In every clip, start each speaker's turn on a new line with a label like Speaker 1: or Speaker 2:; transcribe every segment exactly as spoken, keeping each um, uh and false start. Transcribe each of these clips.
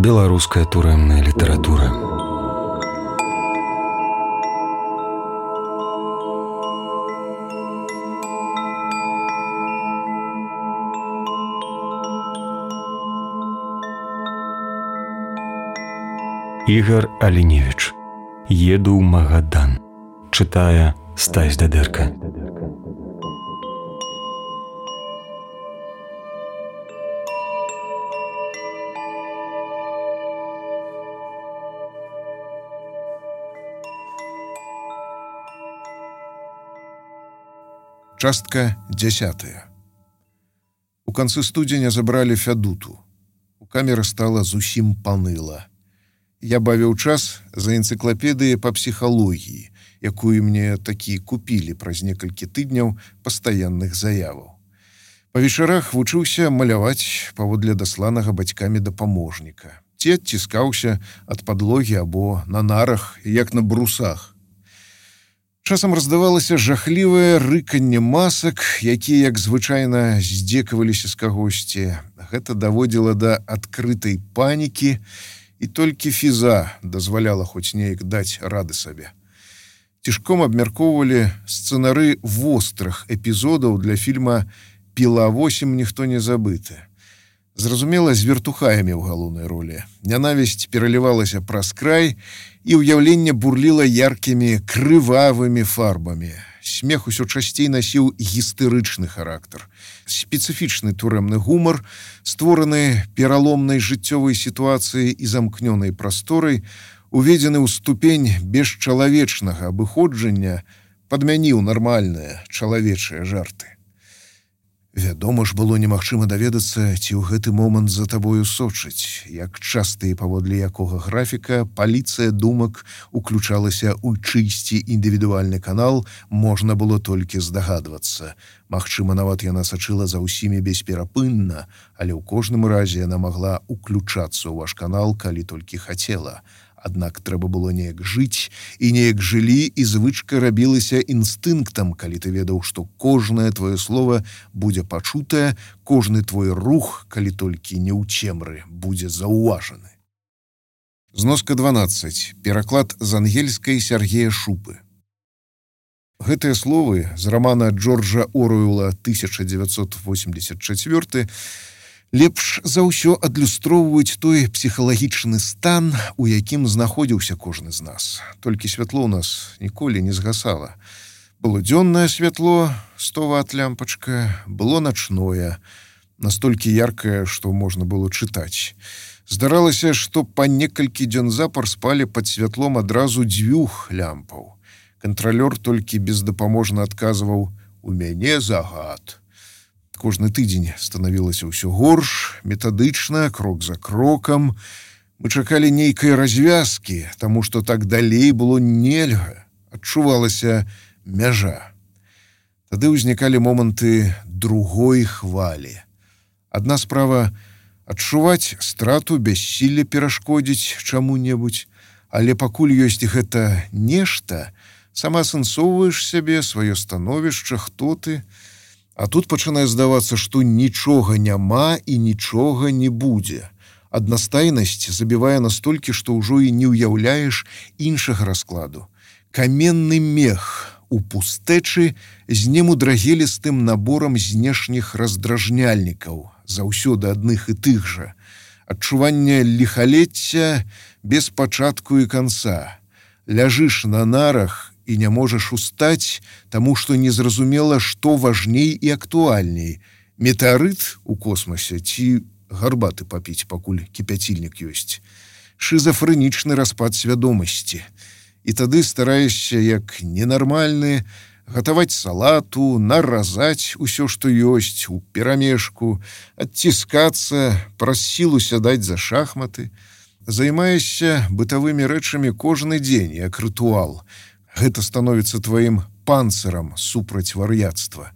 Speaker 1: Беларуская турэмная літаратура. Ігар Аліневіч. Еду ў Магадан. Чытае Стась Дадэрка.
Speaker 2: Частка дзясятая. У канцы студзеня забралі Фядуту. У камеры стала зусім паныла. Я бавіў час за энцыклапедыяй па псіхалогіі, якую мне такі купілі праз некалькі тыдняў пастаянных заяваў. Па вечарах вучыўся маляваць паводле дасланага бацькамі дапаможніка. Ці адціскаўся ад падлогі або на нарах, як на брусах. Часам раздавалася жахлівае рыканне масак, якія, як звычайна, здзекаваліся з кагосьці. Гэта даводзіла да адкрытай панікі, і толькі фіза дазваляла хоць неяк даць рады сабе. Цішком абмяркоўвалі сцэнары вострых эпізодаў для фільма «Піла восемь. Ніхто не забыты». Зразумела, з вертухаямі ў галоўнай ролі. Нянавісць пералівалася праз край, і ўяўленне бурліла яркімі, крывавымі фарбамі. Смех усё часцей насіў гістэрычны характар. Спецыфічны турэмны гумар, створаны пераломнай жыццёвай сітуацыяй і замкнёнай прасторай, уведзены ў ступень бесчалавечнага абыходжання, падмяніў нармальныя чалавечыя жарты. Вядома ж, было немагчыма даведацца, ці ў гэты момант за табою сочыць, як часта і паводле якога графіка паліцыя думак уключалася ў чыйсьці індывідуальны канал, можна было толькі здагадвацца. Магчыма, нават яна сачыла за ўсімі бесперапынна, але ў кожным разе яна магла уключацца ў ваш канал, калі толькі хацела. Аднак трэба было неяк жыць, і неяк жылі, і звычка рабілася інстынктам, калі ты ведаў, што кожнае твоё слова будзе пачутае, кожны твой рух, калі толькі не ў цемры, будзе заўважаны. Зноска дванаццаць. Пераклад з ангельскай Сергея Шупы. Гэтыя словы з рамана Джорджа Оруэлла тысяча дзевяцьсот восемьдесят четвёрты лепш за ўсё адлюстроўваюць той псіхалагічны стан, у якім знаходзіўся кожны з нас. Толькі святло ў нас ніколі не згасала. Было дзённае святло, сто ват лямпачка, было начное, настолькі яркае, што можна было чытаць. Здаралася, што па некалькі дзён запар спалі пад святлом адразу дзвюх лямпаў. Кантралёр толькі бездапаможна адказваў: «У мяне загад». Кожны тыдзень станавілася ўсё горш, метадычна, крок за крокам. Мы чакалі нейкай развязкі, таму што так далей было нельга. Адчувалася мяжа. Тады ўзнікалі моманты другой хвалі. Адна справа — адчуваць страту, бяссілля перашкодзіць чаму-небудзь, але пакуль ёсць гэта нешта, сама асэнсоўваеш сябе, сваё становішча, хто ты. А тут пачынае здавацца, што нічога няма і нічога не будзе. Аднастайнасць забівае настолькі, што ўжо і не ўяўляеш іншага раскладу. Каменны мех у пустэчы з немудрагелістым наборам знешніх раздражняльнікаў, заўсёды адных і тых жа. Адчуванне ліхалецця без пачатку і канца. Ляжыш на нарах і не можаш устаць, таму што незразумела, што важней і актуальней. Метэарыт у космасе ці гарбаты папіць, пакуль кіпяцільнік ёсць. Шызафрэнічны распад свядомасці. І тады стараешся, як ненармальны, гатаваць салату, наразаць усё, што ёсць, у перамешку, адціскацца, праз сілу сядаць за шахматы. Займаешся бытавымі рэчамі кожны дзень, як рытуал. Гэта становіцца тваім панцырам супраць вар'яцтва.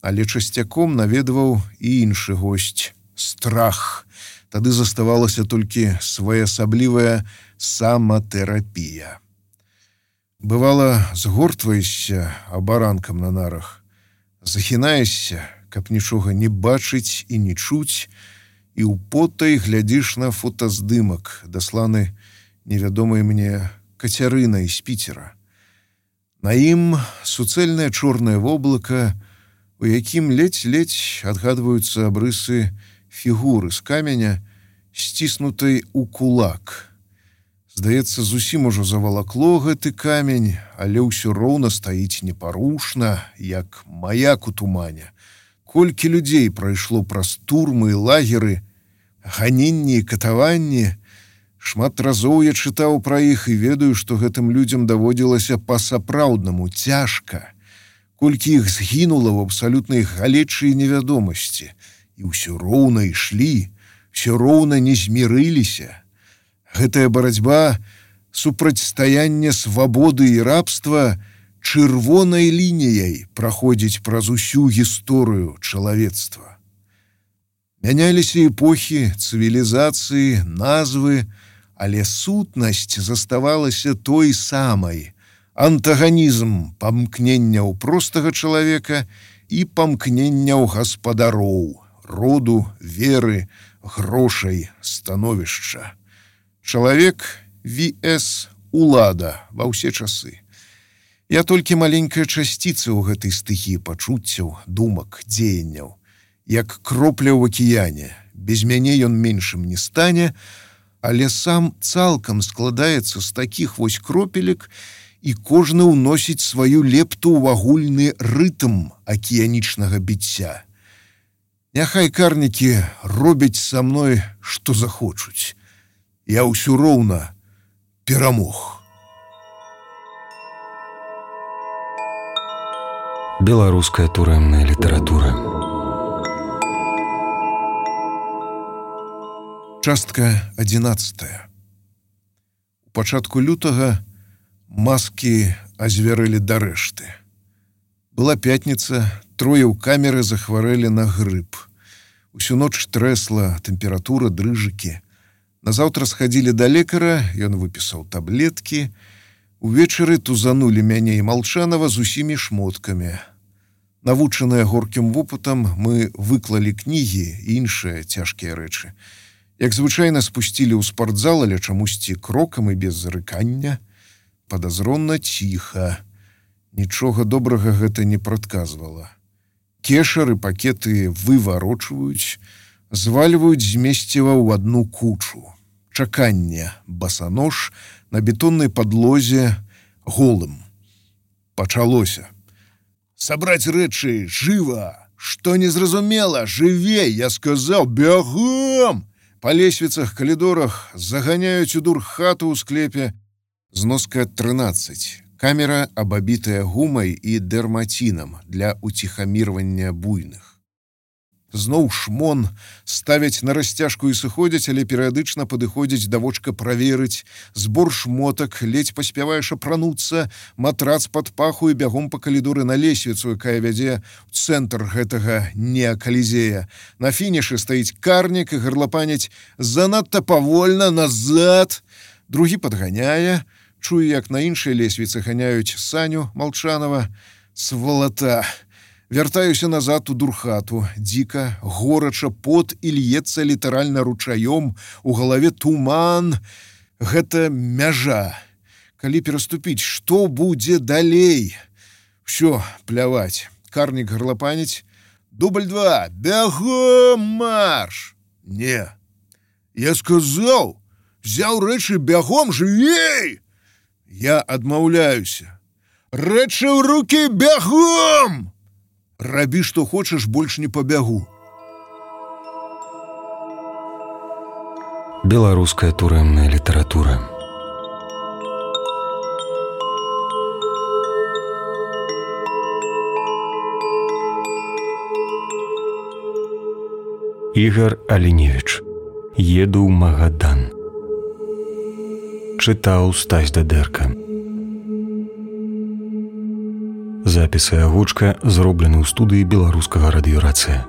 Speaker 2: Але часцяком наведваў і іншы госць — страх. Тады заставалася толькі своеасаблівая саматэрапія. Бывала, згортваешся абаранкам на нарах, захінаешся, каб нічога не бачыць і не чуць, і ўпотай глядзіш на фотаздымак, дасланы невядомай мне Кацярынай з Піцера. На ім суцэльнае чорнае воблака, у якім ледзь-ледзь адгадваюцца абрысы фігуры з каменя, сціснутай у кулак. Здаецца, зусім ужо завалакло гэты камень, але ўсё роўна стаіць непарушна, як маяк у тумане. Колькі людзей прайшло праз турмы і лагеры, ганенні і катаванні. Шмат разоў я чытаў пра іх і ведаю, што гэтым людзям даводзілася па-сапраўднаму цяжка. Колькі іх згінула ў абсалютнай галечы і невядомасці. І ўсё роўна ішлі, ўсё роўна не змірыліся. Гэтая барацьба, супрацьстаянне свабоды і рабства чырвонай лініяй праходзіць праз усю гісторыю чалавецтва. Мяняліся эпохі, цывілізацыі, назвы, але сутнасць заставалася той самай. Антаганізм памкненняў простага чалавека і памкненняў гаспадароў, роду, веры, грошай, становішча. Чалавек vs улада ва ўсе часы. Я толькі маленькая часціца ў гэтай стыхіі пачуццяў, думак, дзеянняў. Як кропля ў акіяне. Без мяне ён меншым не стане, але сам цалкам складаецца з такіх вось кропелек, і кожны ўносіць сваю лепту ў агульны рытм акіянічнага біцця. Няхай карнікі робяць са мной, што захочуць. Я ўсё роўна перамог.
Speaker 1: Беларуская турэмная літаратура.
Speaker 2: Частка адзінаццатая. У пачатку лютага маскі азвярэлі да рэшты. Была пятніца, трое ў камеры захварэлі на грып. Усю ноч трэсла, тэмпература, дрыжыкі. Назаўтра схадзілі да лекара, ён выпісаў таблеткі. Увечары тузанулі мяне і Малчанова з усімі шмоткамі. Навучаныя горкім вопытам, мы выклалі кнігі і іншыя цяжкія рэчы. Як звычайна спусцілі ў спартзал, але чамусьці крокам і без зарыкання. Падазронна ціха. Нічога добрага гэта не прадказвала. Кешары пакеты выварочваюць, звальваюць з месціва ў адну кучу. Чаканне, басанож на бетоннай падлозе голым. Пачалося. Сабраць рэчы, жыва! Што незразумела, жывей, я сказаў, бягом! Па лесвіцах, калідорах заганяюць у дурхату ў склепе. Зноска трынаццаць. Камера абабітая гумай і дэрмацінам для уціхамірвання буйных. Зноў шмон, ставяць на расцяжку і сыходзяць, але перыядычна падыходзяць да вочка праверыць. Збор шмотак, ледзь паспяваеш апрануцца, матрац пад паху і бягом па калідоры на лесвіцу, якая вядзе ў цэнтр гэтага неакалізея. На фінішы стаіць карнік і гарлапаняць занадта павольна, назад. Другі падганяе. Чую, як на іншай лесвіцы ганяюць Саню Малчанова. Свалата! Вяртаюся назад у дурхату. Дзіка, горача, пот і льецца літаральна ручаём. У галаве туман. Гэта мяжа. Калі пераступіць, што будзе далей? Усё, пляваць. Карнік гарлапаніць. Дубль два. Бягом марш! Не. Я сказаў, взяў рэчы бягом, жывей! Я адмаўляюся. Рэчы ў рукі бягом! Рабі, што хочаш, больш не пабягу.
Speaker 1: Беларуская турэмная літаратура. Ігар Аліневіч. Еду ў Магадан. Чытаў Стась Дадэрка. Запісы агучка зроблены ў студыі беларускага радыёрацыя.